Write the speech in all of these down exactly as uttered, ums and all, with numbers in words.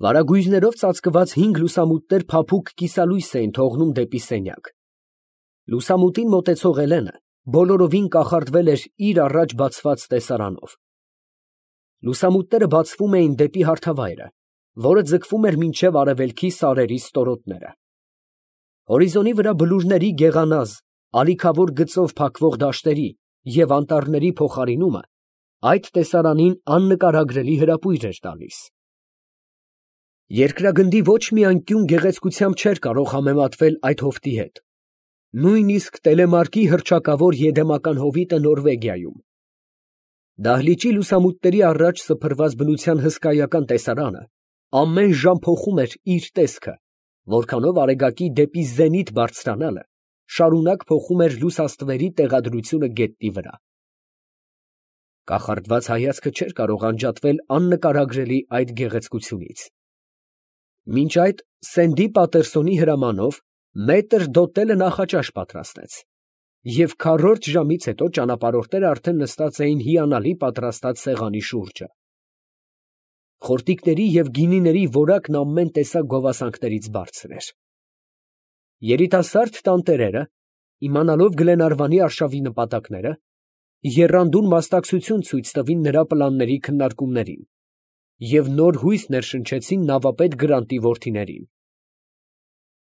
Վարագույրներով ծածկված հինգ լուսամուտներ փափուկ կիսալույս էին թողնում դեպի սենյակ։ Լուսամուտին մոտեցող Էլենը բոլորովին կախարդվել էր իր առաջ բացված տեսարանով։ Լուսամուտները բացվում էին դեպի հարթավայրը, որը ձգվում էր մինչև արևելքի սարերի ստորոտները։ Հորիզոնի վրա բլուրների գեղանազ, ալիքավոր գծով փակվող դաշտերի և անտառների փոխարինումը այդ տեսարանին աննկարագրելի հրապույր էր տալիս։ Երկրագնդի ոչ մի անկյուն գեղեցկությամբ չէր կարող համեմատվել այդ հովտի հետ, նույնիսկ Տելեմարկի հռչակավոր Եդեմական հովիտը Նորվեգիայում։ Դահլիճի լուսամուտների առաջ սփռված բնության հսկայական տեսարանը ամեն ժամ փոխում էր իր տեսքը, որքանով արեգակի դեպի զենիթ բարձրանալը շարունակ փոխում էր լուսաստվերի տեղադրությունը գետնի վրա։ Կախարդված հայացքը չէր կարող անջատվել աննկարագրելի այդ գեղեցկությունից։ Մինչ այդ Սենդի Պատերսոնի հրամանով մետր Դոտելը նախաճաշ պատրաստեց, և քառորդ ժամից հետո ճանապարհորդները արդեն նստած էին հիանալի պատրաստած սեղանի շուրջը։ Խորտիկների և գինիների որակն ամեն տեսակ գովասանքներից բարձր էր։ Երիտասարդ տանտերերը, իմանալով Գլենարվանի արշավի նպատակները, եռանդուն մասնակցություն ցույց տվին նրա պլանների քննարկումներին և նոր հույս ներշնչեցին նավապետ Գրանտի որդիներին։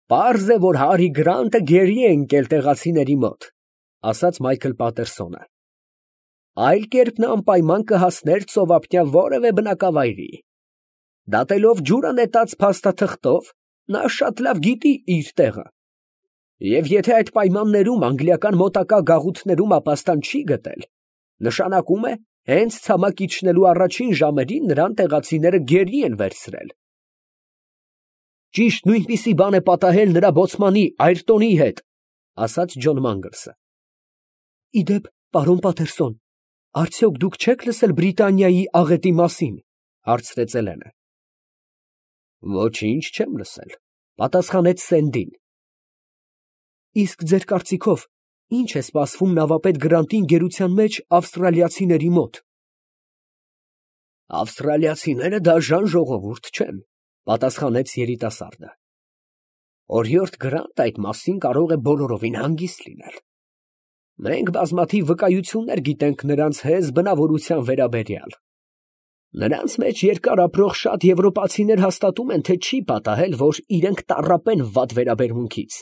«Պարզ է, որ Հարի Գրանտը գերի է ընկել տեղացիների մոտ, ֊ ասաց Մայքլ Պատերսոնը, ֊ այլ կերպ նա անպայման կհասներ ծովափնյա որևէ բնակավայրի։ Դատելով ջուրը նետած փաստաթղթով, նա շատ լավ գիտի իր տեղը, և եթե այդ պայմաններում անգլիական մոտակա գաղութներում ապաստան չի գտել, նշանակում է, հենց ցամաք իջնելու առաջին ժամերին նրան տեղացիները գերի են վերցրել։ Ճիշտ նույնպիսի բան է պատահել նրա բոցմանի Այրտոնի հետ, ֊ ասաց Ջոն Մանգլսը։ ֊ Ի դեպ, պարոն Պատերսոն, արդյոք դուք չեք լսել Բրիտանիայի աղետի մասին, ֊ հարցրեց Էլենը։ ֊ Ոչինչ չեմ լսել, ֊ պատասխանեց Սենդին։ ֊ Իսկ ձեր կարծիքով ի՞նչ է սպասվում նավապետ Գրանտին գերության մեջ ավստրալիացիների մոտ։ ֊ Ավստրալիացիները դաժան ժողովուրդ չեն, ֊ պատասխանեց երիտասարդը։ Օրիորդ Գրանտը այդ մասին կարող է բոլորովին հանգիստ լինել։ Մենք բազմաթիվ վկայություններ գիտենք նրանց հեզ բնավորության վերաբերյալ։ Նրանց մեջ երկար ապրող շատ եվրոպացիներ հաստատում են, թե չի պատահել, որ իրենք տառապեն վատ վերաբերմունքից։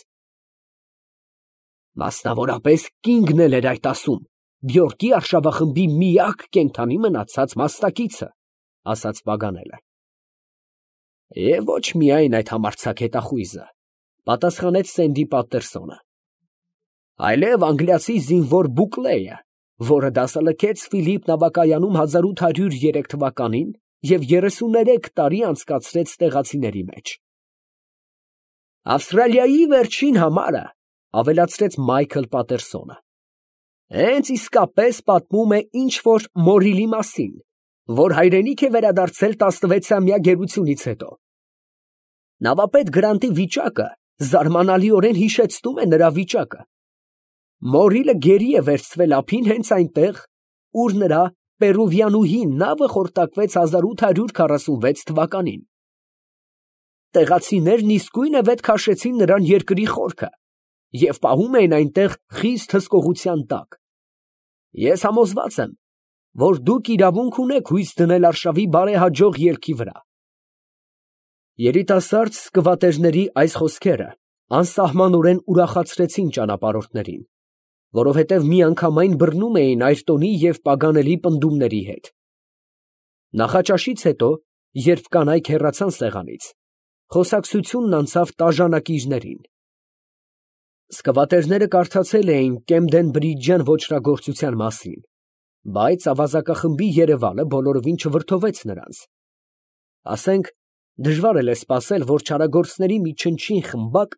Մասնավորապես կինգն էլ էր այդ ասում, Բյորկի արշավախմբի միակ կենդանի մնացած մասնակիցը, ֊ ասաց Պագանելը։ Եվ ոչ միայն այդ համարձակ հետախույզը, ֊ պատասխանեց Սենդի Պատերսոնը, այլև անգլիացի զինվոր Բուկլեյը, որը դասալքեց Ֆիլիպ նավակայանում հազար ութ հարյուր երեք թվականին և երեսուներեք տարի անցկացրեց տեղացիների մեջ։ Ավստրալիայի վերջին համարը, ֊ ավելացրեց Մայքլ Պատերսոնը, հենց իսկապես պատմում է ինչ֊որ Մորիլի մասին, որ հայրենիք է վերադարձել տասնվեցամյա գերությունից հետո։ Նավապետ Գրանտի վիճակը զարմանալիորեն հիշեցնում է նրա վիճակը։ Մորիլը գերի է վերցվել ափին հենց այնտեղ, ուր նրա Պերուվիանուհի նավը խորտակվեց հազար ութ հարյուր քառասունվեց թվականին։ Տեղացիներն իսկույն վետ քաշեցին նրան երկրի խորքը և պահում էին այնտեղ խիստ հսկողության տակ։ Ես համոզված եմ, որ դուք իրավունք ունեք հույս դնել արշավի բարեհաջող ելքի վրա։ Երիտասարդ սկվատերների այս խոսքերը անսահմանորեն ուրախացրեցին ճանապարհորդներին, որովհետև միանգամայն բռնում էին Այրտոնի և Պագանելի պնդումների հետ։ Նախաճաշից հետո, երբ կանայք հեռացան սեղանից, խոսակցությունն անցավ տաժանակիրներին։ Սկվատերները կարդացել էին Կեմդեն֊Բրիջյան ոճրագործության մասին, բայց ավազակախմբի երևալը բոլորովին չվրդովեց նրանց։ Ասենք, դժվար էլ է սպասել, որ չարագործների մի չնչին խմբակ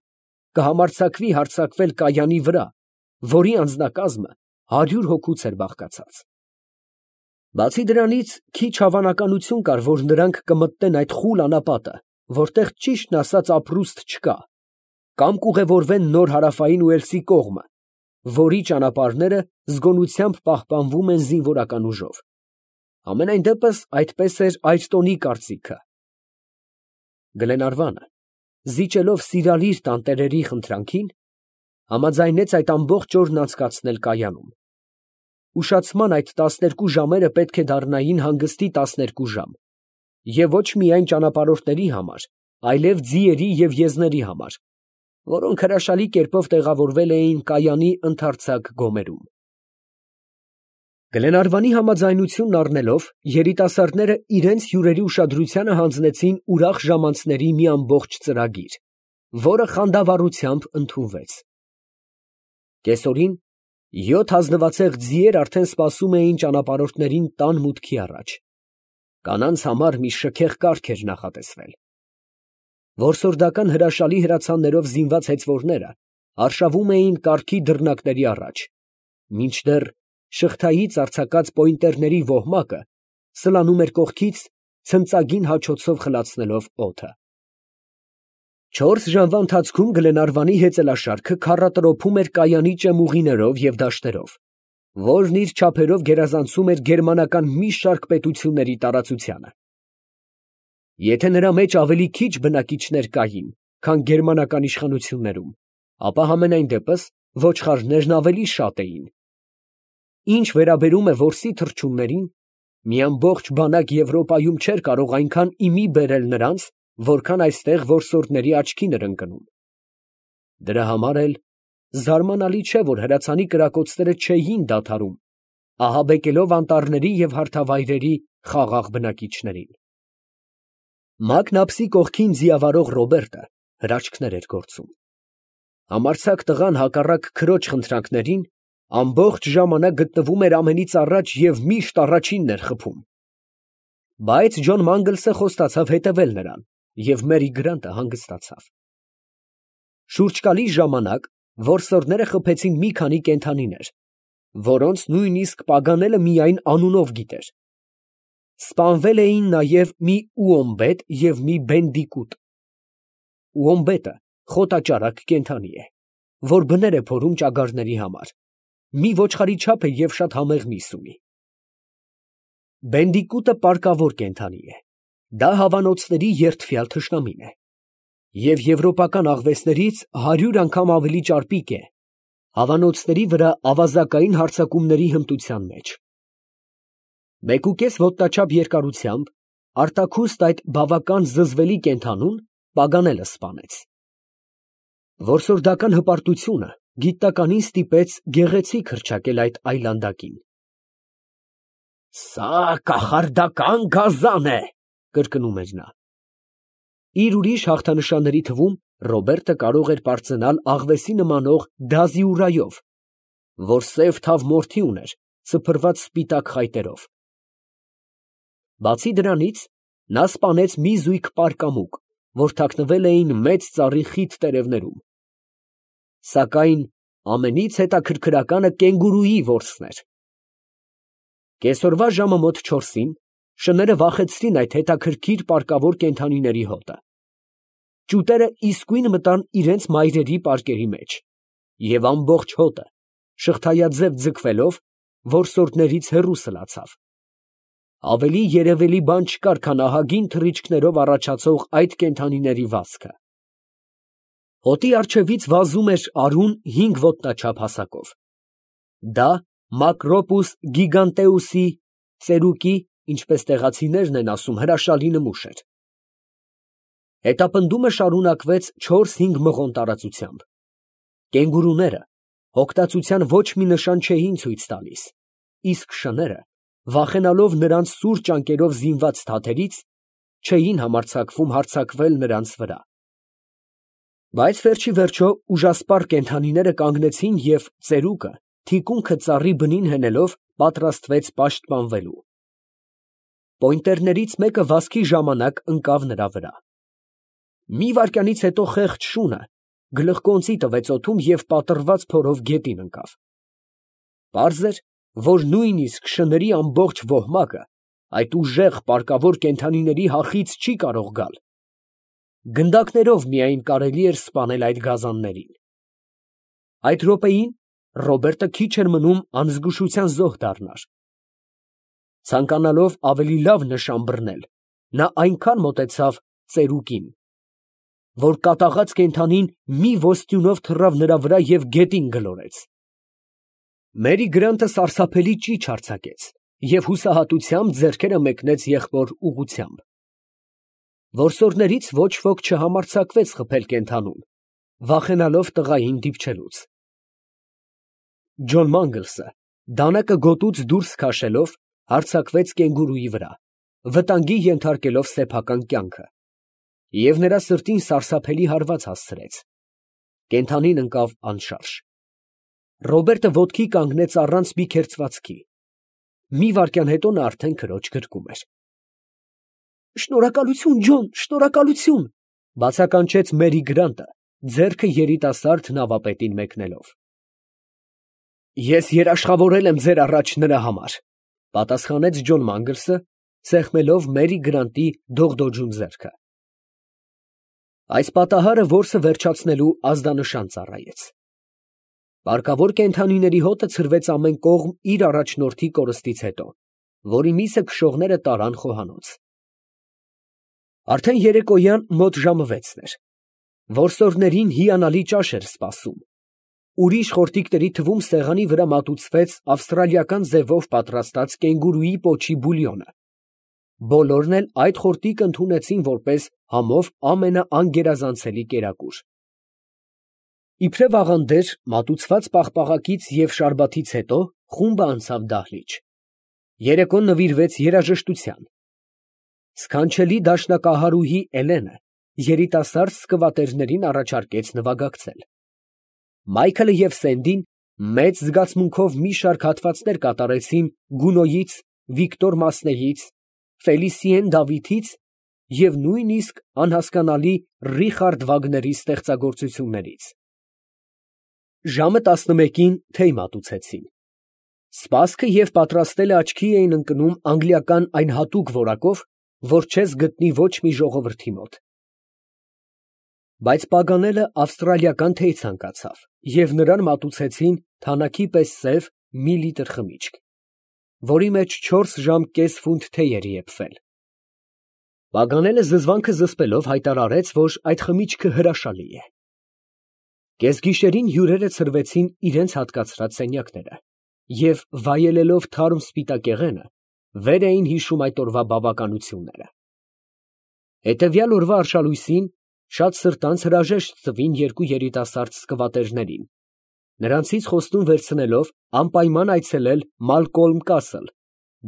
կհամարձակվի հարձակվել կայանի վրա, որի անձնակազմը հարյուր հոգուց էր բաղկացած։ Բացի դրանից, քիչ հավանականություն կար, որ նրանք կմտնեն այդ խուլ անապատը, որտեղ ճիշտն ասած ապրուստ չկա, կամ կուղևորվեն նոր հարավային Ուելսի կողմը, որի ճանապարհները զգոնությամբ պահպանվում են զինվորական ուժով։ Համենայն դեպս այդպես էր Այրտոնի կարծիքը։ Գլենարվանը, զիջելով սիրալիր տանտերերի խնդրանքին, համաձայնեց այդ ամբողջ օրն անցկացնել կայանում։ Ուշացման այդ տասներկու ժամերը պետք է դառնային հանգստի տասներկու ժամ, և ոչ միայն ճանապարհորդների համար, այլև ձիերի և եզների համար, որոնք հրաշալի կերպով տեղավորվել էին կայանի ընդարձակ գոմերում։ Գլենարվանի համաձայնությունն առնելով, երիտասարդները իրենց հյուրերի ուշադրությանը հանձնեցին ուրախ ժամանցների մի ամբողջ ծրագիր, որը խանդավառությամբ ընդունվեց։ Կեսօրին յոթ ազնվացեղ ձիեր արդեն սպասում էին ճանապարհորդներին տան մուտքի առաջ։ Կանանց համար մի շքեղ կարգ էր նախատեսվել։ Որսորդական հրաշալի հրացաններով զինված հեծվորները արշավում էին կառքի դռնակների առաջ, մինչդեռ շղթայից արձակած պոինտերների ոհմակը սլանում էր կողքից, ցնծագին հաչոցով խլացնելով օդը։ Չորս ժամվա ընթացքում Գլենարվանի հեծելաշարքը քառատրոփում էր կայանի ճեմուղիներով և դաշտերով, որն իր չափերով գերազանցում էր գերմանական մի շարք պետությունների տարածությանը։ Եթե նրա մեջ ավելի քիչ բնակիչներ կային, քան գերմանական իշխանություններում, ապա համենայն դեպս ոչխարներն ավելի շատ էին։ Ինչ վերաբերում է որսի թռչուններին, մի ամբողջ բանակ Եվրոպայում չէր կարող այնքան իմի բերել նրանց, որքան այստեղ որսորդների աչքին էր ընկնում։ Դրա համար էլ զարմանալի չէ, որ հրացանի կրակոցները չէին դադարում, ահաբեկելով անտառների և հարթավայրերի խաղաղ բնակիչներին։ Մակնապսի կողքին ձիավարող Ռոբերտը հրաչքներ էր գործում։ Համարձակ տղան հակառակ քրոջ խնդրանքներին ամբողջ ժամանակ գտնվում էր ամենից առաջ և միշտ առաջինն էր խփում։ Բայց Ջոն Մանգլսը խոստացավ հետևել նրան, և Մերի Գրանտը հանգստացավ։ Շուրջկալի ժամանակ որսորդները խփեցին մի քանի կենդանիներ, որոնց նույնիսկ Պագանելը միայն անունով գիտեր։ Սպանվել էին նաև մի ուոմբետ և մի բենդիկուտ։ Ուոմբետը խոտաճարակ կենդանի է, որ բներ է փորում ճագարների համար, մի ոչխարի չափ է և շատ համեղ միս ունի։ Բենդիկուտը պարկավոր կենդանի է, դա հավանոցների երդվյալ թշնամին է, և եվրոպական աղվեսներից հարյուր անգամ ավելի ճարպիկ է հավանոցների վրա ավազակային հարձակումների հմտության մեջ։ Մեկուկես ոտնաչափ երկարությամբ, արտաքուստ այդ բավական զզվելի կենդանուն Պագանելը սպանեց։ Որսորդական հպարտությունը գիտնականին ստիպեց գեղեցիկ հռչակել այդ այլանդակին։ «Սա կախարդական գազան է», կրկնում էր նա։ Իր ուրիշ հաղթանշանների թվում Ռոբերտը կարող էր պարծենալ աղվեսի նմանող դազիուրայով, որ սև թավ մորթի ուներ, սփռված սպիտակ խայտերով։ Բացի դրանից, նա սպանեց մի զույգ պարկամուկ, որ թաքնվել էին մեծ ծառի խիտ տերևներում։ Սակայն ամենից հետաքրքրականը կենգուրուի որսն էր։ Կեսօրվա ժամը մոտ չորսին շները վախեցրին այդ հետաքրքիր պարկավոր կենդանիների հոտը։ Ճուտերը իսկույն մտան իրենց մայրերի պարկերի մեջ, և ամբողջ հոտը, շղթայաձև ձգվելով, որսորդներից հեռու սլացավ։ Ավելի երևելի բան չկար, քան ահագին թռիչքներով առաջացող այդ կենդանիների վազքը։ Հոտի առջևից վազում էր արուն հինգ ոտնաչափ հասակով։ Դա Մակրոպուս գիգանտեուսի ծերուկի, ինչպես տեղացիներն են ասում, հրաշալի նմուշ էր։ Հետապնդումը շարունակվեց չորս֊հինգ մղոն տարածությամբ։ Կենգուրուները հոգտացության ոչ մի նշան չէին ցույց տալիս, իսկ շները, վախենալով նրանց սուր ճանկերով զինված թաթերից, չէին համարձակվում հարձակվել նրանց վրա։ Բայց վերջիվերջո ուժասպառ կենդանիները կանգնեցին և ծերուկը, թիկունքը ծառի բնին հենելով, պատրաստվեց պաշտպանվելու։ Պոինտերներից մեկը վազքի ժամանակ ընկավ նրա վրա։ Մի վայրկյանից հետո խեղճ շունը գլխկոնծի տվեց օդում և պատռված փորով գետին ընկավ։ Պարզ էր, որ նույնիսկ շների ամբողջ ոհմակը այդ ուժեղ պարկավոր կենդանիների հախից չի կարող գալ։ Գնդակներով միայն կարելի էր սպանել այդ գազաններին։ Այդ րոպեին Ռոբերտը քիչ էր մնում անզգուշության զոհ դառնար։ Ցանկանալով ավելի լավ նշան բռնել, նա այնքան մոտեցավ ծերուկին, որ կատաղած կենդանին մի ոսტյունով թռավ նրա վրա և գետին գլորեց։ Մերի Գրանտը սարսափելի ճիչ արձակեց և հուսահատությամբ ձեռքերը մեկնեց եղբոր ուղղությամբ։ Որսորդներից ոչ ոք չհամարձակվեց խփել կենդանուն, վախենալով տղային դիպչելուց։ Ջոն Մանգլսը դանակը գոտուց դուրս քաշելով հարձակվեց կենգուրուի վրա, վտանգի ենթարկելով սեփական կյանքը, և նրա սրտին սարսափելի հարված հասցրեց։ Կենդանին ընկավ անշարժ։ Ռոբերտը ոտքի կանգնեց առանց մի քերծվածքի։ Մի վայրկյան հետո նա արդեն քրոջ գրկում էր։ «Շնորհակալություն, Ջոն, շնորհակալություն», ֊ բացականչեց Մերի Գրանտը, ձեռքը երիտասարդ նավապետին մեկնելով։ «Ես երաշխավորել եմ ձեր առաջ նրա համար», ֊ պատասխանեց Ջոն Մանգլսը, սեղմելով Մերի Գրանտի դողդոջուն ձեռքը։ Այս պատահարը որսը վերջացնելու ազդանշան ծառայեց։ Պարկավոր կենդանիների հոտը ցրվեց ամեն կողմ իր առաջնորդի կորստից հետո, որի միսը քշողները տարան խոհանոց։ Արդեն երեկոյան մոտ ժամը վեցն էր։ Որսորդներին հիանալի ճաշ էր սպասում։ Ուրիշ խորտիկների թվում սեղանի վրա մատուցվեց ավստրալիական ձևով պատրաստած կենգուրուի պոչի բուլյոնը։ Բոլորն էլ այդ խորտիկը ընդունեցին որպես համով ամենաանգերազանցելի կերակուր։ Իբրև աղանդեր, մատուցված պաղպաղակից և շարբաթից հետո խումբը անցավ դահլիճ։ Երեկոն նվիրվեց երաժշտության։ Սքանչելի դաշնակահարուհի Էլենը երիտասարդ սկվատերներին առաջարկեց նվագակցել։ Մայքլը և Սենդին մեծ զգացմունքով մի շարք հատվածներ կատարեցին Գունոյից, Վիկտոր Մասնեից, Ֆելիսիեն Դավիթից և նույնիսկ անհասկանալի Ռիխարդ Վագների ստեղծագործություններից։ Ժամը տասնմեկին թեյ մատուցեցին։ Սպասքը և պատրաստելը աչքի էին ընկնում անգլիական այն հատուկ որակով, որ չես գտնի ոչ մի ժողովրդի մոտ։ Բայց Պագանելը ավստրալիական թեյ ցանկացավ, և նրան մատուցեցին թանաքի պես սև մի լիտր խմիչք, որի մեջ չորս ժամ կես ֆունտ թեյ էր եփվել։ Պագանելը զզվանքը զսպելով հայտարարեց, որ այդ խմիչքը հրաշալի է։ Կեսգիշերին հյուրերը ցրվեցին իրենց հատկացրած սենյակները և, վայելելով թարմ սպիտակեղենը, վեր էին հիշում այդ օրվա բավականությունները։ Հետևյալ օրվա արշալույսին շատ սրտանց հրաժեշտ տվին երկու երիտասարդ սկվատերներին, նրանցից խոստում վերցնելով անպայման այցելել Մալկոլմ Կասլ,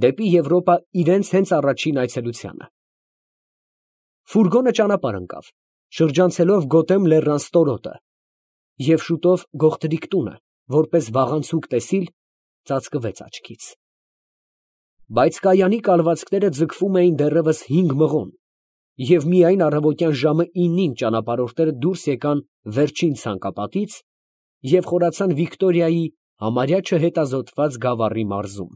դեպի Եվրոպա իրենց հենց առաջին այցելությանը։ Ֆուրգոնը ճանապարհ ընկավ, շրջանցելով Գոթեմ լեռան ստորոտը, և շուտով գողտրիկ տունը, որպես վաղանցուկ տեսիլ, ծածկվեց աչքից։ Բայց կայանի կալվածքները ձգվում էին դեռևս հինգ մղոն, և միայն առավոտյան ժամը ինին ճանապարհորդները դուրս եկան վերջին ցանկապատից և խորացան Վիկտորիայի համարյա չհետազոտված գավառի մարզում։